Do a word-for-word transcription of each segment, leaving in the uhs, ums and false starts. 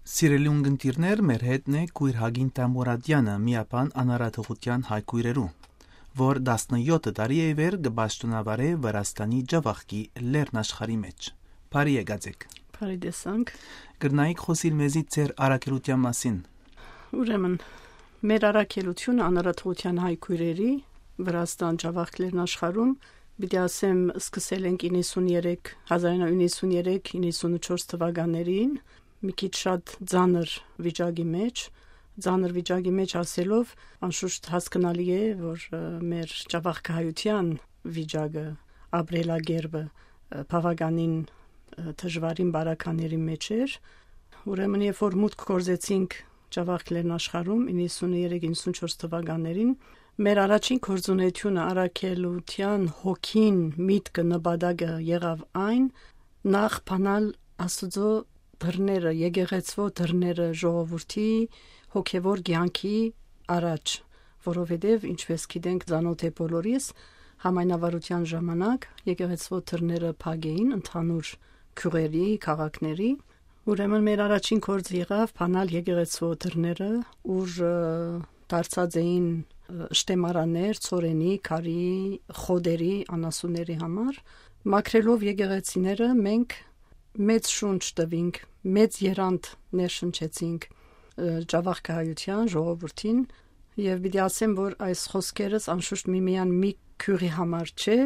Սիրելի ունգընտիրներ, մեր հետն է քույր Հակին Տամուրատյանը, միաբան անարատողութեան հայ քույրերու, որ տասնեօթ տարի է վեր կը պաշտոնավարէ Վրաստանի Ջաւախքի լեռնաշխարհի մէջ։ Բարի եկած եք։ Բարի տեսանք։ Կրնայիք խօսիլ մեզի ձեր առաքելութեան մասին։ Ուրեմն, մեր առաքելութիւնը անարատողութեան հայ քույրերի Վրաստան Ջաւախք լեռնաշխարհում, պիտի ասեմ, սկսել ենք իննսուններեք, հազար իննսուններեք, իննսունչորս թվականներին, մի քիչ շատ ծանր վիճակի մեջ, ծանր վիճակի մեջ ասելով, անշուշտ հասկնալի է, որ, ը, մեր Ջաւախքահայութեան վիճակը, ապրելակերպը, ը, բաւականին, ը, դժուարին բարակաների մեջ էր։ Ուրեմն, երբ որ մուտք գործեցինք Ջաւախք լեռնաշխարհում իննսուններեք, իննսունչորս թվականներին, մեր առաջին գործունեությունը, առաքելութեան հոգին, միտքը, նպատակը եղաւ այն, նախ բանալ Աստուծոյ դռները, եկեղեցւոյ դռները ժողովուրդի հոգեւոր կեանքի առաջ, որովհետեւ, ինչպես գիտենք, ծանօթ է բոլորիս, համայնավարութեան ժամանակ եկեղեցւոյ դռները փակ էին ընդհանուր գիւղերի, քաղաքների։ Ուրեմն, մեր առաջին գործը եղաւ բանալ եկեղեցւոյ դռները, ուր, ը, դարձած էին, ը, շտեմարաններ, ցորենի, քարի, խոտերի, անասունների համար։ Մաքրելով եկեղեցիները, մենք մեծ շունչ տուինք, մեծ եռանդ ներշնչեցինք, ը, Ջաւախքահայութեան ժողովուրդին, եւ պիտի ասեմ, որ այս խօսքերս անշուշտ միմիան մի գիւղի համար չէ,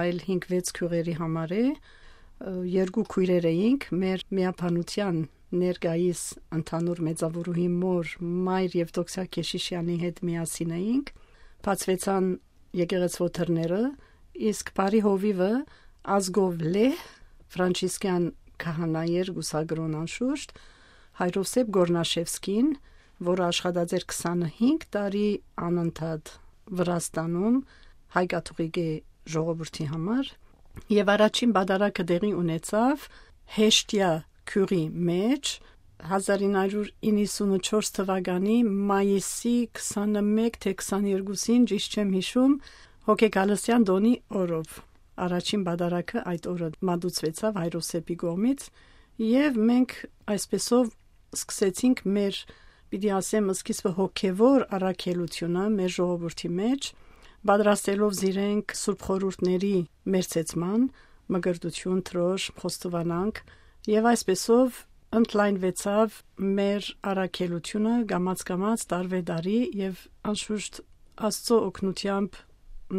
այլ հինգ-վեց գիւղերի համար է։ Ը, երկու քոյրեր էինք, մեր միաբանութեան ներկայիս ընդհանուր մեծաւորուհի մօր, մայր Եւդոքսիա Քեշիշեանի հետ միասին էինք, բացուեցան եկեղեցւոյ դռները, իսկ բարի հովիւը Ազգով Լեհ, ֆրանցիսկեան քահանայ էր, կուսակրօն անշուշտ, Հայրոսեփ Գորնաշևսկին, որը աշխատած էր քսանհինգ տարի անընդհատ Վրաստանում հայ կաթողիկէ ժողովուրդի համար, եւ առաջին պատարագը տեղի ունեցաւ Հեշտիա գիւղի մէջ, հազար ինը հարիւր իննսունչորս թվականի մայիսի քսանմէկ թէ քսաներկուսին, ճիշդ չեմ յիշում, հոգեգալստեան տօնի օրով։ Առաջին պատարագը այդ օրը մատուցուեցաւ Հայրոսեփի կողմից, եւ մենք այսպեսով սկսեցինք մեր, պիտի ասեմ, սկիզբը հոգեվոր առաքելութիւնը մեր ժողովուրդի մէջ, պատրաստելով զիրենք Սուրբ Խորհուրդների մերձեցման, մկրտութիւն, դրոշմ, խոստովանանք, եւ այսպեսով ընդլայնուեցաւ մեր առաքելութիւնը կամաց-կամաց, տարվե տարի, եւ անշուշտ Աստծոյ օգնութեամբ,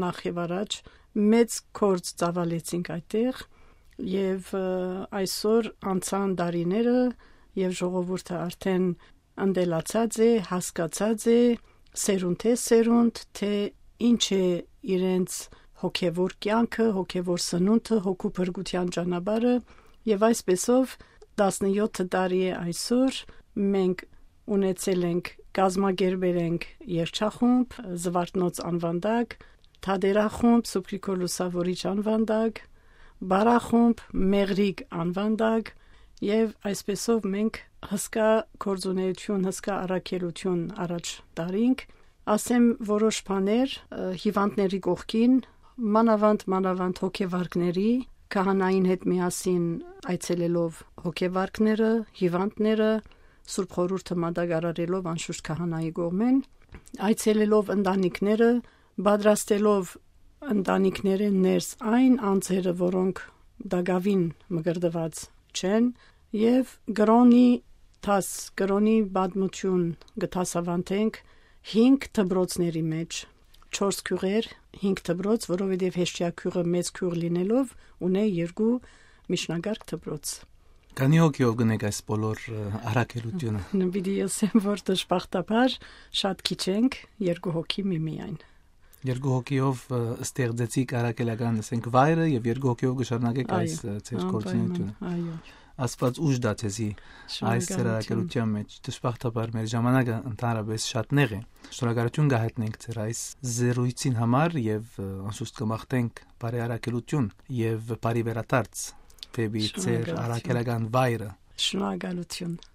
նախ եւ առաջ, մեծ գործ ծաւալեցինք այդտեղ, եւ, ը, այսօր անցան տարիները, եւ ժողովուրդը արդեն ընտելացած է, հասկացած է, սերունդէ սերունդ, թէ ինչ է իրենց հոգեվոր կեանքը, հոգեվոր սնունդը, հոգու փրկութեան ճանապարհը, եւ այսպեսով տասնեօթ տարի է այսօր, մենք ունեցել ենք, կազմակերպել ենք երգչախումբ, Զվարթնոց անուան տակ, թատերախումբ, Սուրբ Գրիգոր Լուսավորիչ անուան տակ, պարախումբ, Մեղրիկ անուան տակ, եւ այսպեսով մենք հսկայ գործունեութիւն, հսկայ առաքելութիւն առաջ տարինք։ Ասեմ որոշ բաներ, ը, հիւանդների կողքին, մանաւանդ, մանաւանդ հոգեվարկների, քահանային հետ միասին այցելելով հոգեվարկները, հիւանդները, Սուրբ Խորհուրդը մատակարարելով անշուշտ քահանայի կողմէն, այցելելով ընտանիքները, պատրաստելով ընտանիքներէն ներս այն անձերը, որոնք տակաւին մկրտուած չեն, եւ կրօնի դաս, կրօնի պատմութիւն կը դասաւանդենք հինգ դպրոցների մէջ, չորս գիւղեր, հինգ դպրոց, որովհետեւ Հեշտիա գիւղը մեծ գիւղ լինելով ունէ երկու միջնակարգ դպրոց։ Քանի՞ հոգիով կ'ընէք այս բոլոր, ը, առաքելութիւնը։ Պիտի ըսեմ, որ դժբախտաբար շատ քիչ ենք, երկու հոգի միմիայն։ Երկու հոգիով, ը, ստեղծեցիք առաքելական, ասենք, վայրը, եւ երկու հոգիով կը շարունակեք Այո, այս, ը, ձեր անպայման, գործունեութիւնը։ Այո։ Աստուած ուժ տայ ձեզի այս ձեր շնորհակալություն։ Առաքելութեան մէջ։ Դժբախտաբար մեր ժամանակը ընդհանրապես շատ նեղ է։ Շնորհակալություն կը հայտնենք ձեր այս զրոյցին համար եւ, ը, անշուշտ կը մաղթենք բարի առաքելութիւն եւ բարի վերադարձ դէպի ձեր Շնորհակալություն։ Առաքելական վայրը։ Շնորհակալություն։